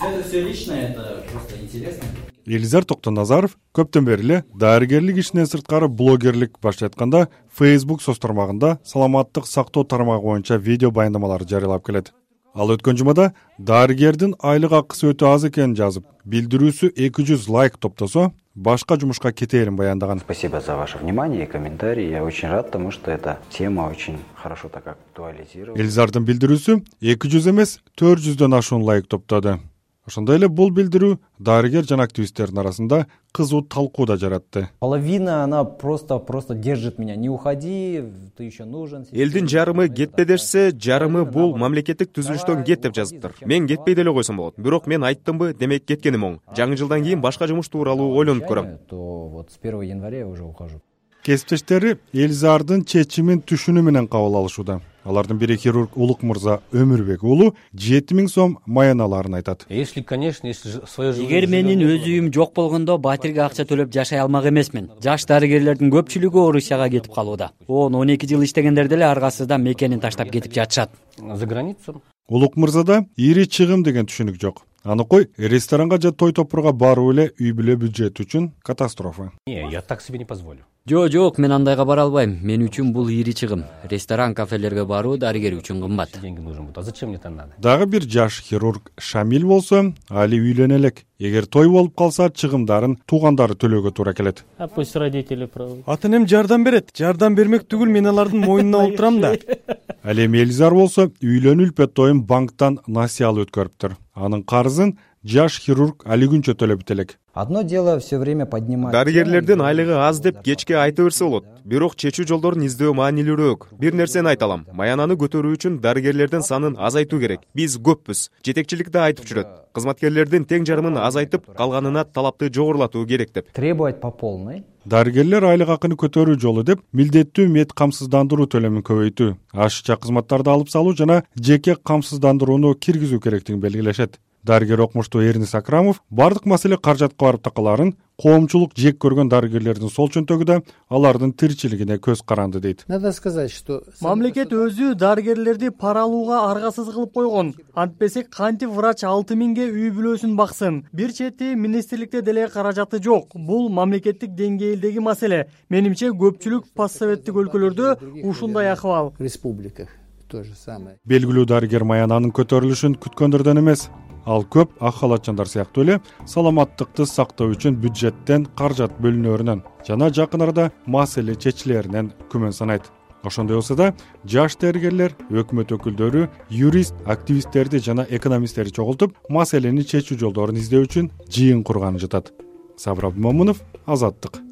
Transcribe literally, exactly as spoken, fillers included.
Это все личное, это просто интересно. Элизар Токтоназаров көптөн бери эле дарыгерлик ишинен сырткары блогерлик баштап атканда Facebook соц тармагында саламаттык сактоо тармагы боюнча видео баяндамалар жарыялап келет. Ал өткөн жумада дарыгердин айлык акысы өтө аз экенин жазып, билдирүүсү эки жүз лайк топтосо, башка жумушка кетээрин баяндаган. Спасибо за ваше внимание и комментарии. Я очень рад, потому что эта тема очень хорошо так актуализировалась. Элизардын билдирүүсү эки жүз эмес төрт жүздөн ашуун лайк топтоду. Ошондой эле бул билдирүү дарыгер жана активисттердин арасында кызуу талкуу да жаратты. Половина она просто просто держит меня. Не уходи, ты еще нужен. Элдин жарымы кетпе дешсе, жарымы бул мамлекеттик түзүлүштөн кет деп жазыптыр. Мен кетпей деле койсом болот. Бирок мен айттымбы, демек кеткеним оң. Жаңы жылдан кийин башка жумуш тууралуу ойлонуп көрөм. То вот с первого января я уже ухожу. Кесиптештери Элизардын чечимин түшүнүү менен кабыл алышууда. Алардын бири хирург Улук мырза Өмүрбек уулу жети миң сом маяналарын айтат. Если, конечно, если свое жизнь. Эгер менин өз үйүм жок болгондо батирге акча төлөп жашай алмак эмесмин. Жаш дарыгерлердин көпчүлүгү Орусияга кетип калууда. он он эки жыл иштегендер деле аргасызда мекенин таштап кетип жатышат. За границу. Улук мырзада ири чыгым деген түшүнүк жок. Аныкой ресторанга же той топурга баруу эле үй бүлө бюджети үчүн катастрофа. Не, я так себе не позволю. Жок, жок, мен андайга бара албайм. Мен үчүн бул ири чыгым. Ресторан, кафелерге баруу дарыгер үчүн кымбат. Деньги нужен будет. А зачем мне это надо? Дагы бир жаш хирург Шамил болсо, али үйлөнө элек. Эгер той болуп калса, чыгымдарын туугандары төлөөгө туура келет. А пусть родители правы. Ата энем жардам берет. Жардам бермек түгүл, мен алардын мойнуна отурам да. Ал эми Элизар болсо, үйлөнүү үлпөт тоюн банктан насыя алып өткөрүптүр. Анын карызын жаш хирург али күнчө төлөп элек. Одно дело все время поднимать. Дарыгерлердин айлыгы аз деп кечке айта берсе болот. Бирок чечүү жолдорун издөө маанилүүрөөк. Бир нерсени айталам. Маянаны көтөрүү үчүн дарыгерлердин санын азайтуу керек. Биз көппүз. Жетекчилик да айтып жүрөт. Кызматкерлердин тең жарымын азайтып, калганына талапты жогорулатуу керек деп. Требовать по полной. Дарыгерлер айлык акыны көтөрүү жолу деп милдеттүү мед камсыздандыруу төлөмүн көбөйтүү, ашыкча кызматтарды алып салуу жана жеке камсыздандырууну киргизүү керектигин белгилешет. Дарыгер окумуштуу Эрнис Акрамов бардык маселе каражатка барып такаларын коомчулук жек көргөн дарыгерлердин сол чөнтөгү да алардын тиричилигине көз каранды дейт. Надо сказать, что мамлекет өзү дарыгерлерди пара алууга аргасыз кылып койгон. Антпесе кантип врач алты миңге үй бүлөсүн баксын? Бир чети министрликте деле каражаты жок. Бул мамлекеттик деңгээлдеги маселе. Менимче көпчүлүк постсоветтик өлкөлөрдө ушундай акыбал. в республиках то же самое. Белгилүү дарыгер маянанын көтөрүлүшүн күткөндөрдөн эмес. Ал көп ак халатчандар сыяктуу эле саламаттыкты сактоо үчүн бюджеттен каражат бөлүнөрүнөн жана жакын арада маселе чечилеринен күмөн санайт. Ошондой болсо да жаш дарыгерлер, өкмөт өкүлдөрү, юрист, активисттерди жана экономисттерди чогултуп, маселени чечүү жолдорун издөө үчүн жыйын курганы жатат. Сабыр Абдымомунов, Азаттык.